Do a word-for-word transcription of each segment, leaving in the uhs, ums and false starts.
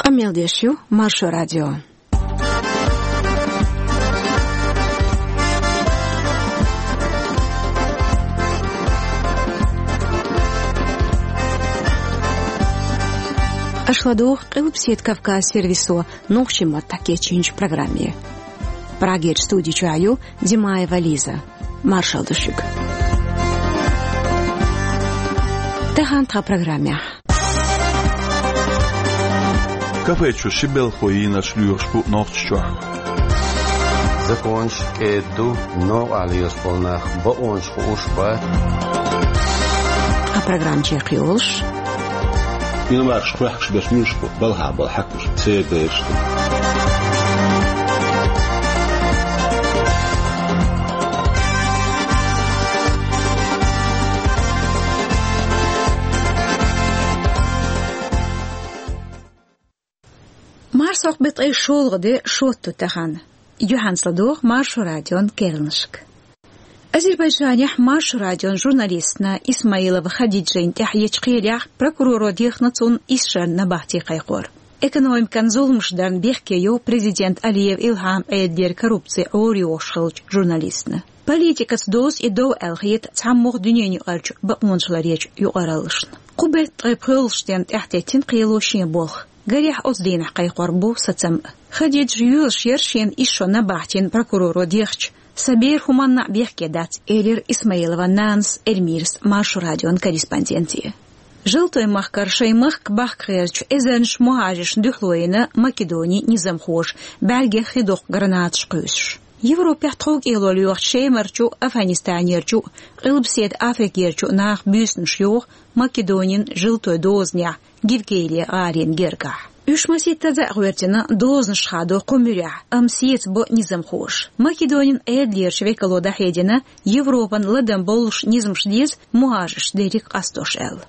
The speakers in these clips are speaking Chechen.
Къамел деш ю Маршо радио. Аша ладугӀу Къилбаседа Кавказ сервисо нохчийн маттахь кечйинчу программе. Прагерчу студи чохь ю Димаева Лиза. Маршалла ду шуьга. Тахана тхан программехь. Кафе чу ши белхо йийнарш лоьхуш бу Нохчийчохь. Законаш кӀеда ду, новкъахь лелаш болу нах бакъонаш хууш бац. Тхан программа чекхйолуш. Иномаркаш кхоьхкуш берш муьлш бу, балхахь болу хьаькамаш, церан бераш ду. Марсхьокху беттан шолгӀа де, шотту тахана. Юьхьанца ладогӀа Маршо радион керланашка. Азербайджанехь Маршо радион журналистна Исмаилова Хадиджина тӀехь ечу кхелехь прокуроро дехна цунна исс шарна набахти кхайкхор. Экономикан зуламаш дарна бехке йо президент Алиев Илхьам Ӏедалера коррупци Ӏорайохуш хиллачу журналистна. Политикаца дозу и дов аьлла хета цхьаммогӀа дуьненаюкъарчу бакъонашларъечу юкъараллашна. Кху беттан ткъе пхоьалгӀачу дийнна тӀаьхьатеттина кхело шен болх. Гарехь, оцу дийнахь кхайкхор бу сацам а. Хадиджа йоьлуш яра шена исс шо набахтина прокуроро дехча, сан бер хӀуманна а бехке дац, элира Исмаилован нанас Эльмирас Маршо радион корреспонденте. Желтой махкара шайн махка бахка гӀертачу эзарнаш мухӀажаршна дуьхьало йина Македонин низамхоша, бӀаьргех хи доккху гранаташ кхуьйсуш. Европехь тховкӀело лоьхучу Шемарчу, Афганистанерчу, Къилбаседа Африкерчу наха буьйсанаш йоху Македонин желтой дозанехь, Гивгелия гӀарин гергахь. Уьш масийттаза а гӀоьртина дозанаш хадо кху муьрехь, амма сецабо низамхоша. Македонин Ӏедалерчу векало дӀахьедина, Европан ладам боллуш низамаш деза мухӀажарш дерриг къастош аьлла.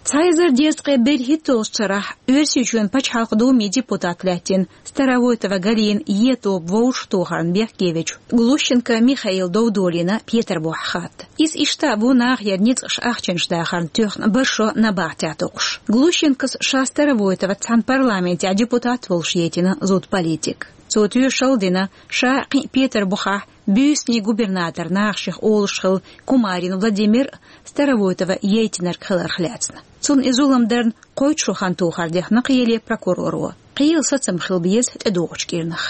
Цхьа эзар дезткъе берхӀитталгӀачу шарахь Оьрсийчоьнан Пачхьалкхан Думин депутат лаьттина Старовойтова Галина е тоба вовшахтохарна бехке вечу Глущенко Михаилан дов долийна Петарбухехь хатта. Иза иштта а ву нахера ницкъаша ахчанаш дахарна тоьхна бархӀ шо набахтехь токхуш. Глущенкос ша Старовойтоваца цхьаьна парламентехь депутат волуш яйтина зуда политик. Цо тоьшалла дина, ша кхин а Петарбухехь буьйсанийн губернатор нахах шех олуш хилла Кумарин Владимир а Старовойтова яйтинарг хиларх лаьцна. Цунна и зулам дарна кхойтта шо хан тохар дехна кхеле прокуроро. Кхелан сацам хила беза тӀедогӀучу кӀирнах.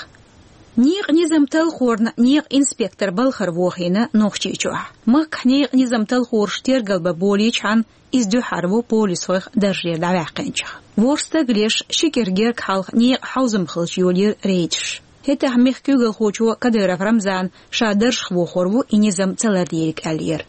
Некъан низам талхорна некъан инспектор балхара вохийна Нохчийчохь. Махкахь некъан низам талхораш тергал бан болийчхьана, иза дуьххьара ву полисхойх даржера дӀаваьккхинчех. ВорхӀ стаг леш, ши кӀира герга хьалха некъан хьовзам хилча йолийра рейдаш. ХӀетахь мехкан куьйгалхочо Кадыров Рамзана ша даржах вохор ву и низам ца лардийриг аьллера.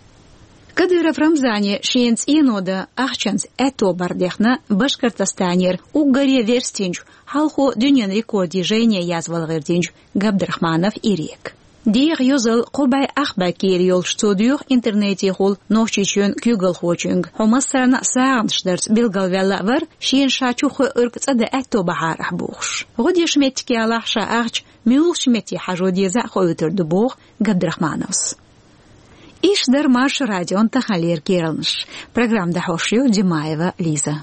Кадыров Рамзане шена цӀено дан ахчанца аьтто бар дехна Башкортостанера уггаре верстинчу, хьалхо дуьненан рекордийн жайне язвала гӀиртинчу Габдрахманов Ирека. ДегӀан йозалла кхо бӀе ах бӀе кийра йолуш цо доьху интернетехула Нохчийчоьнан куьйгалхочуьнга, хьо массарна а сагӀанаш дарца билгалваьлла а вара, шена ша чу хоьуьрг цӀа дан аьтто бахьара ахь бохуш. ГӀо деш меттиг ялахь, ша ахча муьлхачу метте хьажо деза а хоуьйтур ду, боху Габдрахмановс. Иштта дара Маршо радион таханлера керланаш. Программа дӀахьош ю Димаева Лиза.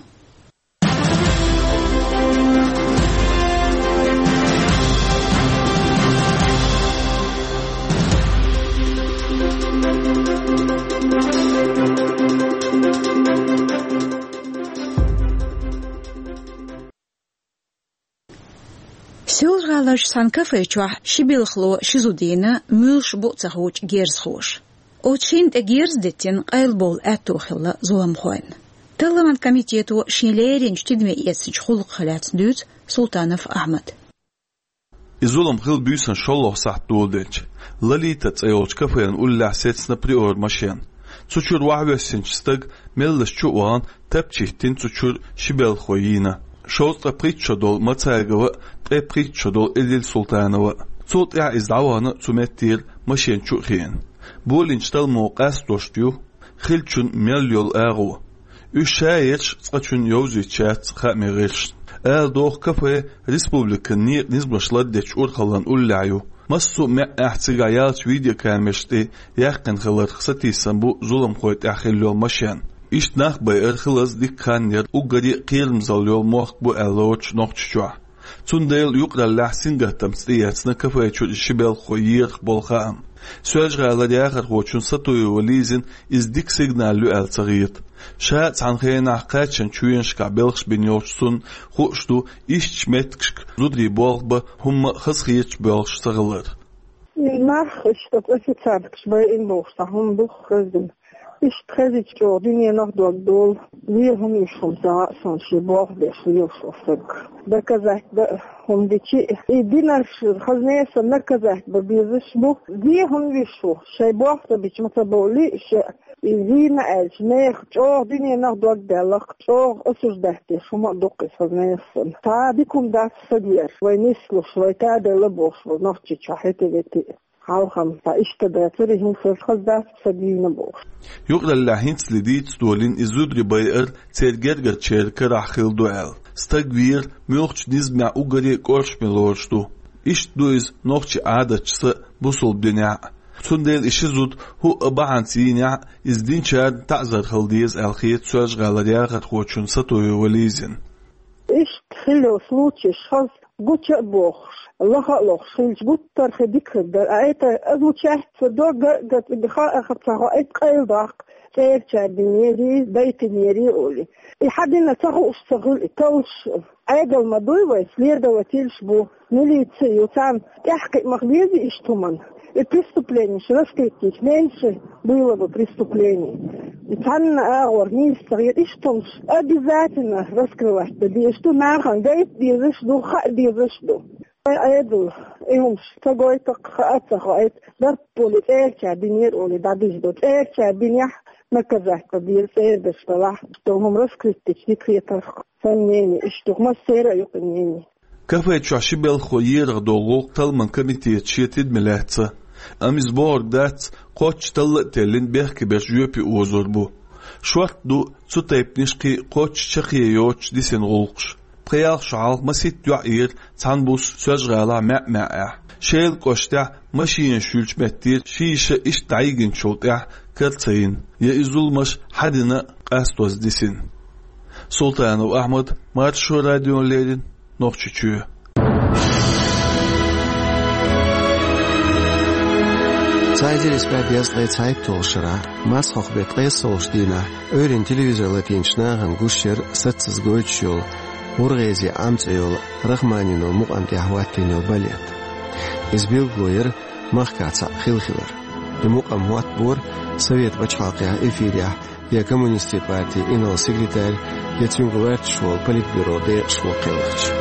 Соьлжа-ГӀаларчу цхьана кафе чохь ши белхало ши зуда йина, муьлш бу а ца хуучу герзахоша. Оцу шинна тӀе герз диттина къайлабовла аьтто хилла зуламхойн. Талламан комитето шен леринчу тидаме эцначу гӀуллакхах лаьцна дуьйцу Султанов Ахьмада. И зулам хилла буьйсанна шолгӀа сахьт доладелча, Лолита цӀе йолчу кафенан уллехь сецна Приора машен. Цу чуьра охьавоьссинчу стага меллаша чу а вахана, тапча хӀиттина цу чуьра ши белхало йийна. Шовзткъе пхийтта шо долу Мацагова а, ткъе пхийтта шо долу Эдил Султанова а. Цул тӀаьхьа иза дӀавахана цу меттера машен чу а хиъна. Болийначу талламо къастош ю, хиллачун мел йолу агӀо. Уьш шаерш цкъачунна йовзуьйтуш яц хааман гӀирсашна. Ала догӀу, кафе республикан некъан низамаш лардечу урхаллан уллехь ю. Массо а маьӀӀехь цигахь яьллачу видеокамераш тӀе яьккхина хиларх сатийсам бу зуламхойн тӀехь хилла йолу машен. Иштта нах байар хилаза дика хан яр, уггаре а кхерамзалла йола мохк бу аьлла лоцуш Нохчийчохь. Цундела юкъараллехь сингаттамца тӀеэцна кафе чуьра ши белхахо ерах болу хаам. Соьлжа-ГӀалара яхархочун Сатуева Лизина иза дика сигнал ю аьлла ца хета. Ша а цхьана хенахь кхаччалц чоьнашкахь белхаш бина йолчу цунна хууш ду, ишттачу меттигашка зударий болх бан хӀумма а хазахеташ болуш ца хилар. И нах иштта официанткаш байина бохуш цхьа хӀума ду хезна. Иштта хезча чӀогӀа дуьненах дог долу, вен хӀума йиш хӀума ца хаьа суна шен болх беш лелаш волу стаг. Доказать бан хӀума дичи, и динарш хаза несан наказать бан безаш бу. Вен хӀума йиш ву, шайн болх ца бича ма ца бовлий ша. И вийна аьлча, нехан чӀогӀа дуьненах дог даьллакх, чӀогӀа осуждать деш хӀума а дуккха иза хаза несан. Цхьа дика хӀума дац стаг веш, вай нислуш, вай таделла бохуш ву Нохчийчохь хӀетте-ветте. Хьалхам, ткъа иштта дацара, хӀинца хаза дац сан дийна бохуш. Юкъараллехь хӀинцале дийца долийна и зударий байар церан гергарчеран карахь хилла ду аьлла. Стаг вер муьлххачу низамехь уггаре а кӀоршаме лоруш ду. Иштта ду иза нохчийн Ӏадаташца а, бусалба динехь а. Цундела и ши зуда хӀуъа бахьанца йийнехь а, иза динчарна таӀзар хила деза аьлла хета Соьлжа-ГӀалара яхархочун Сатуева Лизина. Иштта хилла йолу случайш хаза гуча а бохуш, лаха а лохуш хилча, гуттар а хи дика хир дара. А это, а звучать ца до, га, га, га, ха, а, ха, ца, хо, это къайла даккха, цӀерачара динера, дайтинера олий. И хьан дина ца хууш ца хуьлу, и таллаш. Ӏедал ма дуй вай, следовательш бу, милиция ю, царна тӀаьхьакхиа ма хезий иштта хӀуманна. И преступленеш раскрыть йича, меньше было бы преступлений. И цхьанна агӀор нийса ца хета, иштта хӀумаш обязательно раскрывать дан дезаш ду, нахана гайта дезаш ду, хаа дезаш ду. Вай Ӏедал, и хӀумаш ца гойту, хаа ца хоуьйту, дарб олий, цӀерачара динера олий, дӀадуьйш ду. ЦӀерачара динехь наказать дан деза, цӀердаш далахь, иштта хӀума раскрыть дича дика хетарх. Сан мнение иштта ду, массеран а ю кхин мнение. Кафе чохь ши белхахо ерах долу гӀуллакх талламан комитета шен тидаме лаьцна. Амма иза бохург дац, кхоччуш талла а теллина, бехке берш жоьпе озор бу. Шортта ду цу тайпанаш кхин кхоччуш чаккхе йоцуш дисина гӀуллакхаш. Пхи-ялх шо хьалха масийтта йоӀ ера цхьана буса Соьлжа-ГӀалахь маьӀ-маьӀӀехь. Шелан кӀоштехь машенаш юьллучу меттера ши йиша иштта дӀайигначул тӀаьхьа кара ца йина, я и зуламаш хьан дина а къастоза дисина. Султанов Ахьмад, Маршо радиона леррина, Нохчийчоь. Цхьа эзар исс бӀе дезткъе цхьайтталгӀачу шарахь, Марсхьокху-беттан ткъайоьсналгӀачу дийнахь, Ӏуьйранна телевизоре латийначу нахана гуш яра саццаза гойтуш йолу, ГӀургӀезин Ӏам цӀе йолу Рахманинов мукъам тӀехь хӀоттийна йолу балет. Иза билгало яра махкахь цхьаъ хилла хилар. И мукъам хӀоттабора Совет пачхьалкхехь эфирехь я коммунистийн партин инарла секретарь, я цуьнга гӀерташ волу политбюро декъашхо кхелхича.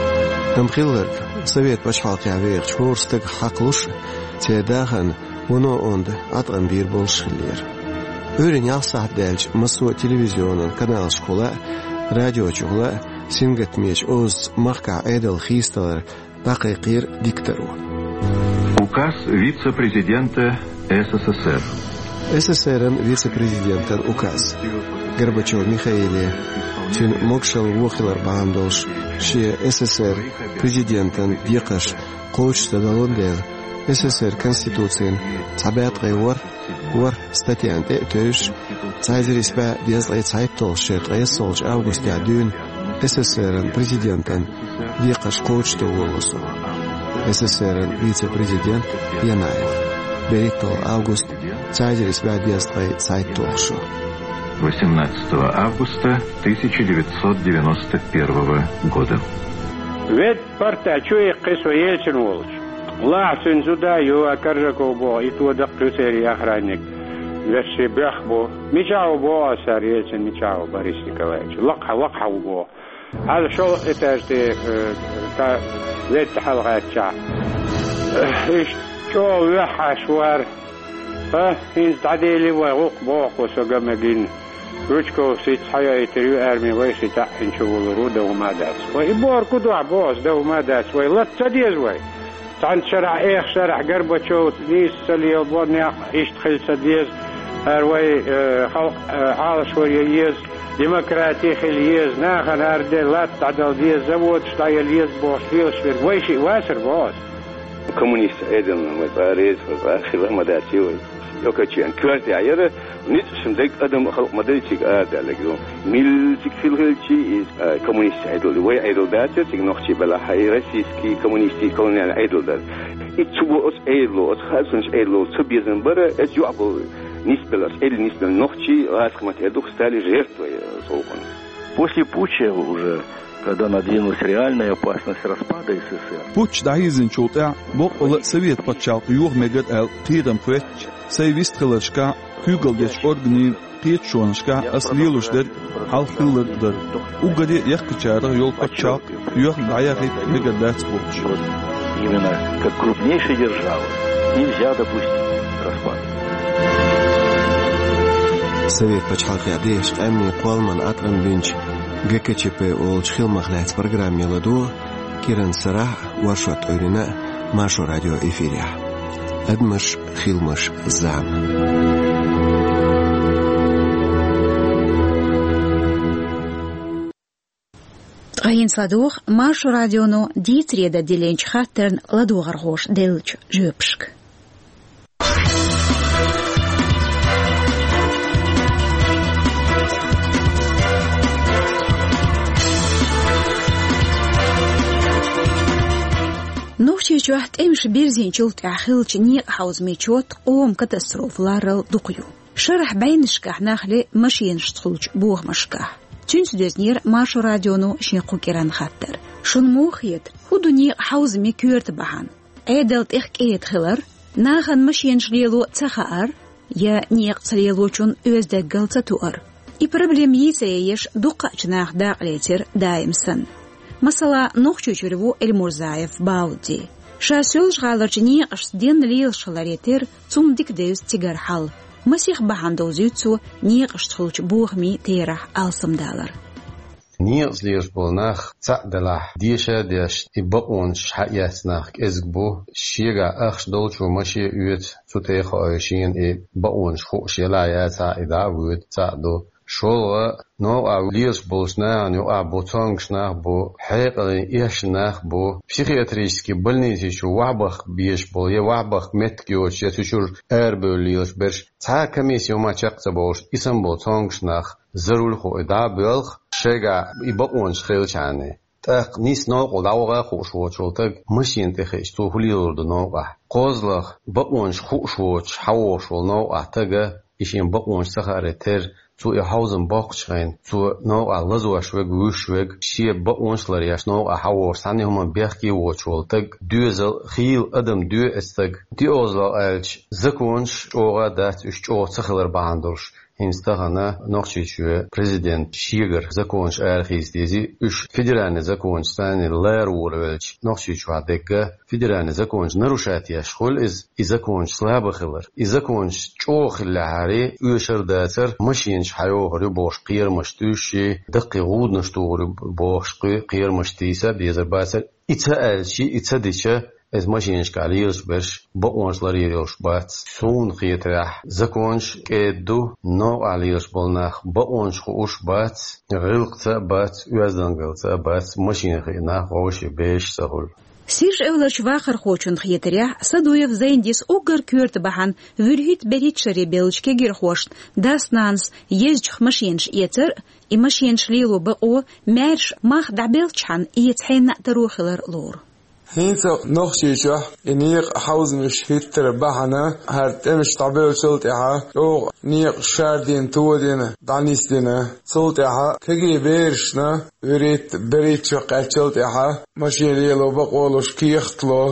Амма хилларг, Совет пачхьалкхехь вехачу хӀора стагах хьакхалуш, церан дахарна вуно онда Ӏаткъам бийр болуш хиллера. Ӏуьйранна ялх сахьт даьлча, массо а телевизионан каналашкахула а, радиочухула а сингаттамечу озаца махкахь Ӏедал хийцадалар дӀакхайкхийра дикторо. Указ вице-президента С С С Р. С С С Р-ан вице-президентан указ. Горбачев Михаиле, цуьнан могашалла вон хилар бахьана долуш, шен С С С Р президентан декхарш кхочушдан далун дела, С С С Р Конституцин цхьа бӀе ткъе ворхӀ, ворхӀ статьяна тӀе а тевжаш, цхьа эзар исс бӀе дезткъе цхьайтталгӀачу шеран ткъайоьсналгӀачу августехь дуьйна С С С Р-ан президентан декхарш кхочушдан волало со. С С С Р-ан вице-президент Янаев. БерхӀитталгӀа август, цхьа эзар исс бӀе дезткъе цхьайтталгӀа шо. Восемнадцатого августа тысяча девятьсот девяносто первого года. Ведь Парта чу иккхи со Ельцин волчу. Лахьа цуьнан зуда а ю, а Коржаков боху, и то даккха церан охранник. Вешши бехк бу. Мичахь ву боху аса цара, Ельцин мичахь ву, Борис Николаевич? Лакхахь, лакхахь ву боху. Хьала шолгӀа этаж тӀе, э, та ведда хьалагӀаьттачахь. Иштта чӀогӀа веххьаш вара. ХӀа, хӀинца дӀадели вай гӀуллакх боху со ган мегина. Жучков сица хьайойтур ю арми, вай ши таӀ хӀинца чу вулур ву, дан хӀума а дац. Вай и бохург ду дуьхьа боху, дан хӀума а дац. Вай латта ца деза вай. Цхьана шарахь, эха шарахь Горбачев нийса ца лела бо, некъ иштта хила ца деза. ХӀара вай, э, халкъ, э, Ӏалашвар ян еза, демократи хила еза, нахана хӀара де латта дӀадала деза, заводаш дӀаяла еза бохуш лелаш верг вай шиъ вацара боху аса. Коммунист Ӏедална вай цкъа а реза, вай цкъа а хила ма дац вай. Окоченко коьртехь яра, Ницкъ шун дег адам халкъ ма дай цига арадаьлларг ду. Милла цига хила хилча иза, а, коммунистийн Ӏедал ду. Вай Ӏедал дацар цига нохчий белахь, и российский коммунистийн колониальный Ӏедал дар. И цу бо оцу Ӏедало, оцу хаасанаш Ӏедало цу безам бара, эцу юкъа болу нисбелла, оцу Ӏедал нисбелла нохчий гӀазкхийн маттахь эр ду-кх Сталин жертва, э, цу гӀуллакхна. После путча уже, когда надвинулась реальная опасность распада С С С Р. Путч дӀахьийзинчул тӀаьхьа боккъала а Совет пачхьалкх йоха мегар аьлла кхерам хӀоьттича, сайн вистхиларшкахь, куьйгалла дечу органийн кхеташонашкахь ас лелош дерг хьалха хилларг а дара. Уггаре а яккхийчарах йолу пачхьалкх йоьхна дӀаяхийта мегар дац бохуш. Именно как крупнейшая держава нельзя допустить распад. Совет пачхьалкхехь дехаш къаьмнийн кхолламан Ӏаткъам бинчу Г К Ч П олучу хиламах лаьцна программе ладогӀа Киран Сарахь а, Воршот Ӏуьйрина а Маршо радион эфирехь. Адамаш, хиламаш, зама. Ткъа хӀинца ладогӀа Маршо радионо дийцаре дан диллинчу хаттарна ладогӀархоша деллачу жоьпашка. Нохчийчохь тӀемаш бирзинчул тӀаьхьа хиллачу некъан хьовзамийн чот къоман катастрофа ларарал дукха ю. Шарахь бӀеннашкахь нах ле машенашца хуьлучу бохамашкахь. Цуьнца доьзнера Маршо радионо шен кху кӀиранан хаттар. Шуна муха хета, хӀун ду некъан хьовзамийн коьрта бахьана? Ӏедал тӀех кӀеда хилар, нахана машенаш лело ца хаар, я некъан ца лелочун оьзда даггал ца туар? И проблема йийца еш дуккхаъчу наха дакъалецира даим санна. Масала, Нохчийчуьра ву Эльмурзаев Баудди. Ша Соьлжа-ГӀаларчу некъашца денна лелаш хиларе терра, цунна дика девза цигара хьал. Масех бахьана довзуьйту цо некъашца хуьлучу бохамийн терахь алсамдалар. Некъаца лелаш болу нах цхьаъ делахь, деша а деш, и бакъонаш схьаэцна нах кӀезиг бу, шегахь ахча долчо маше а оьцу, цу тӀе а хоуьйту шена и бакъонаш хууш елахь яцахь, и дӀа а воьду, цхьаъ ду. ШолгӀа, новкъахь лелаш болчу нахана юкъахь бу цомгуш нах бу, хьекъале эшна нах бу, психиатрически больници чу вахьбахка безаш болу, я вахьбахка меттиг йоцуш, я цу чуьра арабевлла лелаш берш, цхьа а комиссия ма чекх ца бовлуш, и санна болу цомгуш нах, зарулхо и дӀа а боьлху, шайгахь и бакъонаш хилчахьана. ТӀаккха нийсса новкъахула дӀаваха а хууш воцуш волу стаг машена тӀе хиъча, цо хӀун лелор ду новкъахь? КхозлагӀа, бакъонаш хууш воцуш, схьавогӀуш волу новкъахь стага, и шен бакъонаш ца хааре терра, цо и хьовзам боккхучу хенахь, цо новкъахь лазош верг, вуьйш верг, шен бакъонаш а ларъеш, новкъахь схьавогӀуш, цхьана а хӀуманна бехке а воцуш волу стаг, доьзал, хийла адам доьху оцу стага. ДоьалгӀа аьлча, законаш чӀогӀа а дац, уьш чӀогӀа ца хилар бахьана долуш. ХӀинца тахана Нохчийчоь президент шегара законаш арахийца дезий, уьш федеральный законаш санна лара волавелча, Нохчийчохь дерг федеральный законаш нарушать еш хуьлу иза, и законаш слаба хилар. И законаш чӀогӀа хиллехьара, оьшур а дацара, машенаш схьайохур ю бохуш кхерамаш туьйсуш, даккхий гӀуданаш тухур ю бохуш кхе-, кхерамаш тийса а безар бацара. И ца аьлча, и ца дича, иза машенашкахь лелаш берш бакъонаш ларъяр йолуш бац. Суна хетарехь, законаш кӀеда ду, новкъахь лелаш болу нах бакъонаш хууш бац, гӀиллакхца а бац, оьздангаллица а бац, машена хиъна нах вовшийн бераш ца хуьлу. Сиржа-Эвларчу вахархочун хетарехь, Садуев Зайндис уггар коьрта бахьана вуьрхӀитта-берхӀитта шаре бевллачу кегирхошна дас-нанас езачух машенаш эцар а, и машенаш лело бакъо маьрша мах дӀабелчхьана эца хьенна а таро хилар лору. ХӀинца Нохчийчохь и некъан хьовзамаш хӀиттаран бахьана, хӀара тӀемаш дӀабевллачул тӀаьхьа чӀогӀа некъаш шардина, тодина, дӀанисдина. Цул тӀаьхьа кегий берашна вуьрхӀитта-берхӀитта шо кхаьччал тӀаьхьа машен лело бакъо луш кехат ло.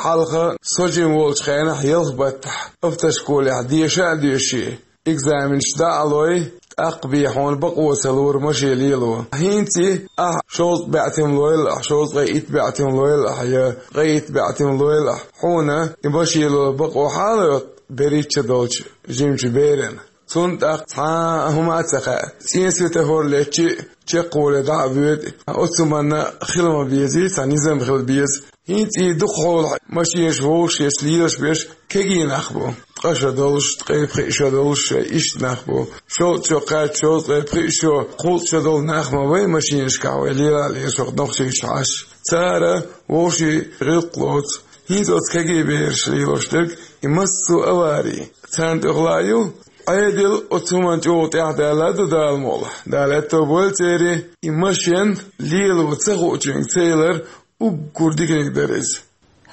Хьалха со жима волчу хенахь ялх баттахь автошколехь деша а доьший, экзаменаш дӀа а лой, тӀаккха бен хьуна бакъо ца лора машен лело. ХӀинца ахь шовзткъа баьӀтим лойла ахь, шовзткъе итт баьӀтим лойла ахь, я ткъе итт баьӀтим лойла ахь, хьуна и машен лело бакъо хьала а йотту берхӀитта шо долчу жимачу берана. Цунна тӀаккха цхьа а хӀума а ца хаьа. ЦӀен светофор летча а, чекхволе дӀа а воьду. Оцу хӀуманна хила ма безий, цхьа низам хила беза. ХӀинца и дукхахьолахь машенаш вовшашца лелаш берш кегий нах бу. Ткъа шо долуш, ткъе пхиъ шо долуш, иштта нах бу. Шовзткъа шо кхаьчча, шовзткъе пхиъ шо, кхузткъа шо долу нах ма вай машенашкахь вай лела а лелаш вай Нохчийчу Ӏаш. Цара вовшийн гӀиллакх лоцу. ХӀинца оцу кегий бераш лелош дерг, и массо а авари царна тӀехула ю. Ӏедал оцу хӀуманна чӀогӀа тӀаьхьадаьлла ду, Дала мукъ лахь. Дала аьтто бойла церан, и машен лело ца хуучуьнга ца ялар уггар диканиг дара иза.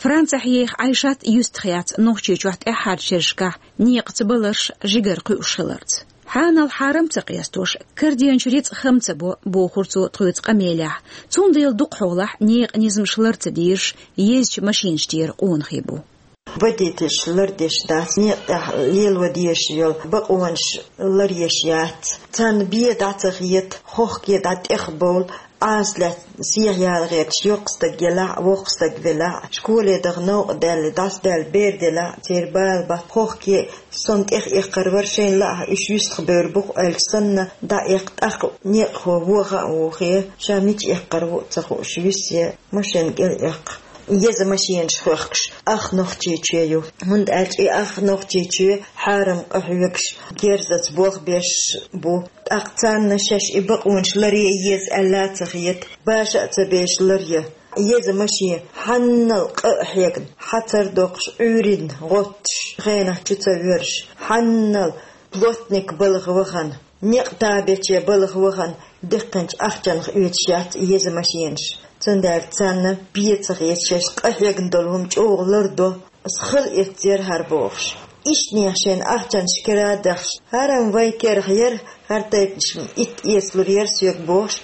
Францехь еха Ӏайшат юьстах яц Нохчийчохь тӀаьххьарчу шерашкахь некъаца баларш жигара кхуьуш хиларца. Хьанал хьарам ца къестош, карденчу рицкъ хам ца бо, бохура цо тхоьца къамелехь. Цундела дукхахьолахь некъан низамаш лар ца дезаш, езачу машинаш тӀера къонахий бу. Водительш лардеш дац некъа тӀехь лело дезаш йолу бакъонаш ларъеш яц. Царна бен дӀа ца хета, хохке дӀа тӀехбовла, Ӏаса лаьцна сехьа яла гӀерташ, йоккха стаг елахь а, воккха стаг велахь а, школе даха новкъа даьлла, дӀасадаьлла бер делахь а, церан бала бац, хохке а, со-м тӀехъяьккхар вара, шайна лаахь уьш юьстах бевр бу-кх аьлча санна, дӀаэккха, тӀаккха некъахо вон хаа вухе, ша мича эккхар ву а ца хууш, висъе машен кӀел эккха. Еза машенаш хоьхкуш ах Нохчийчоь ю, хӀунда аьлча и ах Нохчийчоь хьарам къахьоьгуш, герзаца болх беш бу. ТӀаккха царна шаьш и бакъонаш ларъе еза аьлла а ца хета, баша а ца беш ларъе. Еза машен хьаннал къа а хьегна, хьацар доккхуш, Ӏуьйранна гӀоттуш, хенахь чу ца воьрзуш, хьаннал плотник балха вахана, некъ табече балха вахана, диккхинчу ахчанах оьцуш яц и еза машенаш. Цундела царна бен ца хета шаьш къа хьегна долу хӀума чӀогӀа лардо, аса хала эццера хӀара бохуш. Иштанех шайна ахчанаш кара а дахьаш, хӀара-м вайн керахь яра, хӀара тайпанаш-м итт эцалур яра соьга бохуш,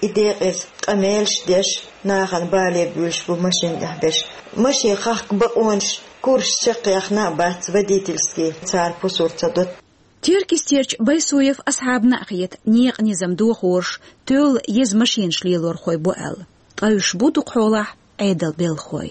и декъаза къамелаш а деш, нахана бале буьйлуш бу машен тӀехь берш. Машен хахка бакъонаш, курсаш чекхъяхна а бац водительский, цара пусар ца до. Теркйистерчу Байсуев Асхьабна а хета, некъан низам дохораш тоьлла еза машенаш лелорхой бу аьлла. Ткъа уьш бу дукхахьолахь Ӏедалан белхахой.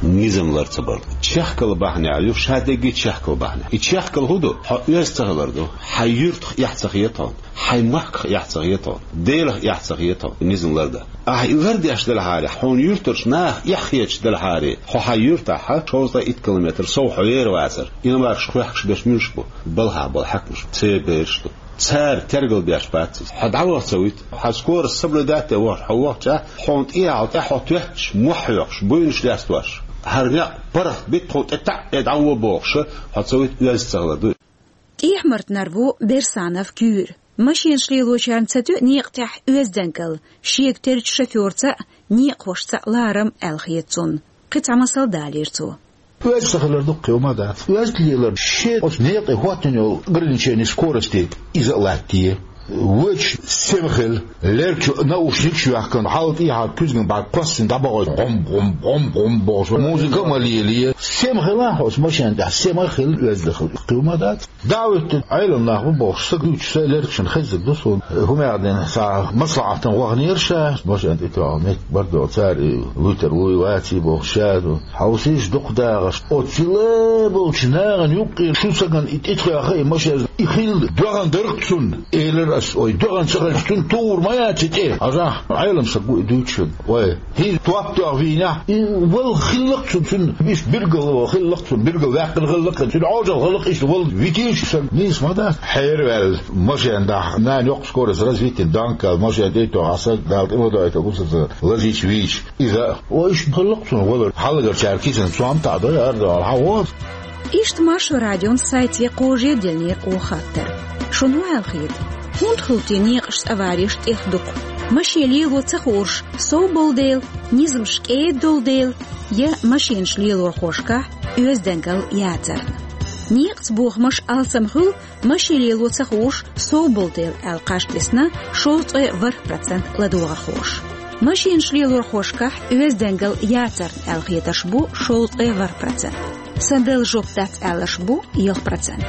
Низам лар ца бар ду. Чехкалла бахьанехь ю, ша дерриге чехкалла бахьанехь. И чехкалла хӀун ду? Хьо оьзда ца хилар ду. Хьайн юьртах эхь ца хета хьуна. Хьайн махках эхь ца хета хьуна. Делах эхь ца хета хьуна. Низам лардан. Ахьа и лардеш делахьара, хьуна юьртарчу наха эхь хеташ делахьара, хьо хьайн юьртахь шовзткъе итт километр сов хьо ер вацара. Иномаркаш кхехкаш берш муьлш бу? Балхахь болу хьаькамаш, церан бераш ду. Цара тергал беш бац иза. Хьо дӀаваха ца вуьту, хьан скорость соблюдать а вахча, хьо вахча, хьуна тӀехьа тӀе хьо тоьттуш, мохь хьоькхуш, буйнаш лестош. ХӀара некъ паргӀат битта хьуна тӀе таӀ, тӀе дӀаваха бохуш, хьо ца вуьту, оьзда ца хилар ду. ТӀехьмартнар ву Берсанов Куьйра. Машенаш лелочарна ца тоьа некъа тӀехь оьздангалла, шега террачу шофёрца а, некъахошца а ларам аьлла хета цунна. Кхин цхьа масал далийра цо. Оьзда ца хилар дуккха хӀума дац. Оьзда лелар шен оцу некъе хӀоттийна йолу ограничение скорости иза а латтае. Вочу сема хила, лергачу наушникаш а йоьхкина, хьал тӀехьа куьзган бӀарг кхоссина дӀабахьуш, гӀом, гӀом, гӀом, гӀом бохуш, музыка а ма лелае. Сема хила хьо оцу машен тӀехь, сема хила, оьзда хила, хӀума дац. ДӀа а вуьттина, Ӏелам нах бу бохуш, са гуьйцуш, сайн лергашна хеззиг ду суна. ХӀумаьгӀдина схьа маслаӀатана ваханера ша, машен тӀе тоьхна меттиг бардо, цара и вуьтур вуй, ваций бохуш ша ду. Хьовсийша дукха дагӀаш. Оцу цила болчу нахана юккъера шу сагана и тӀетхоьхьа и машен, и хилла доьгӀна дара-кх цунна. Элира ас, ой, доьгӀна ца хилча, цунна тухур ма яц и тӀе. Хьажахь, Ӏелам саг ву и дуьйцуш верг. Вай, хӀинца топ тоьхна вийнехь, и вала хилла-кх цунна, цунна иштта билггал хилла-кх цунна, билггал ваьккхина хилла-кх, цуьнан Ӏожалла хилла-кх иштта вала витийша саг, нийса ма дац. Хьераваьлла машен дахь, нана йоккха скорость развитина, данкал машен тӀе а тоьхна, саг Дала тӀе ма дойту, бусалба саг лазийча вийча. Иза, о, иштта хилла-кх цунна валар, хьалхарчара кисана цом таӀадой, ардо, хьан вон. Иштта Маршо радион сайте кхожа диллинера оха хаттар. Шуна хӀун аьлла хета? ХӀунда хуьлу те некъашца авареш тӀех дукха? Машен лело ца хууш сов болу дела, низамаш кӀеда долу дела, я машенаш лелорхошкахь оьздангалла яцарна? Некъаца бохамаш алсам хуьлу, машен лело ца хууш сов болу дела аьлла кхаж тесна шовзткъе ворхӀ процент ладогӀархоша. Машенаш лелорхошкахь оьздангалла яцарна аьлла хетарш бу шовзткъе ворхӀ процент. Сан дала жоп дац аьлларш бу ялх процент.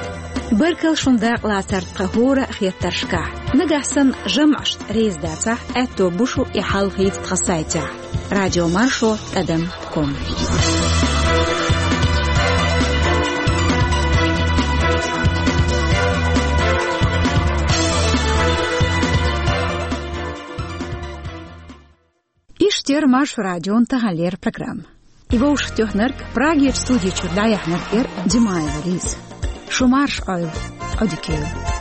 Баркалла шун дакъалацарна тхан хӀора а хеттаршкахь. Нагахь санна жамӀашца реза дацахь, аьтто бу шу и хьалхийта тхан сайтехь: радиомаршо тӀадам ком. Иштта яра Маршо радион таханлера программа. И вовшахтоьхнарг, Прагерчу студи чуьра дӀаяьхьнарг яра Димаева Лиза. Шу марша Ӏойла, Ӏодика йойла.